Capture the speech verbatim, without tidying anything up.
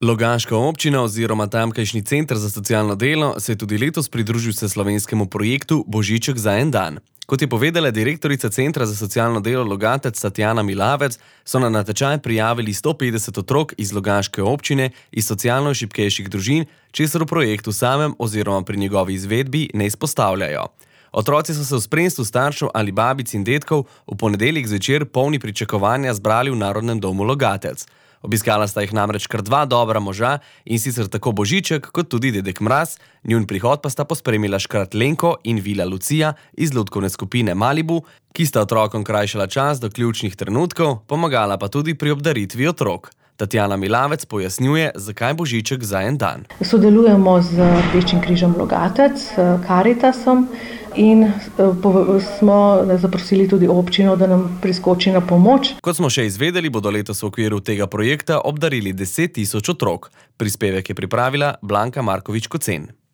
Logaška občina oziroma tamkajšnji center za socialno delo se je tudi letos pridružil vseslovenskemu projektu Božiček za en dan. Kot je povedala direktorica Centra za socialno delo Logatec Tatjana Milavec, so na natečaj prijavili sto petdeset otrok iz Logaške občine iz socialno šibkejših družin, česar v projektu samem oziroma pri njegovi izvedbi ne izpostavljajo. Otroci so se v spremstvu staršev ali babic in dedkov v ponedeljek zvečer polni pričakovanja zbrali v Narodnem domu Logatec. Obiskala sta jih namreč kar dva dobra moža, in sicer tako Božiček kot tudi dedek Mraz, njun prihod pa sta pospremila škrat Lenko in Vila Lucija iz lutkovne skupine Malibu, ki sta otrokom krajšala čas do ključnih trenutkov, pomagala pa tudi pri obdaritvi otrok. Tatjana Milavec pojasnjuje, zakaj Božiček za en dan. Sodelujemo z Rdečim križem Logatec, Karitasom in smo zaprosili tudi občino, da nam priskoči na pomoč. Kot smo še izvedeli, bodo letos v okviru tega projekta obdarili deset tisoč otrok. Prispevek je pripravila Blanka Markovič Kocen.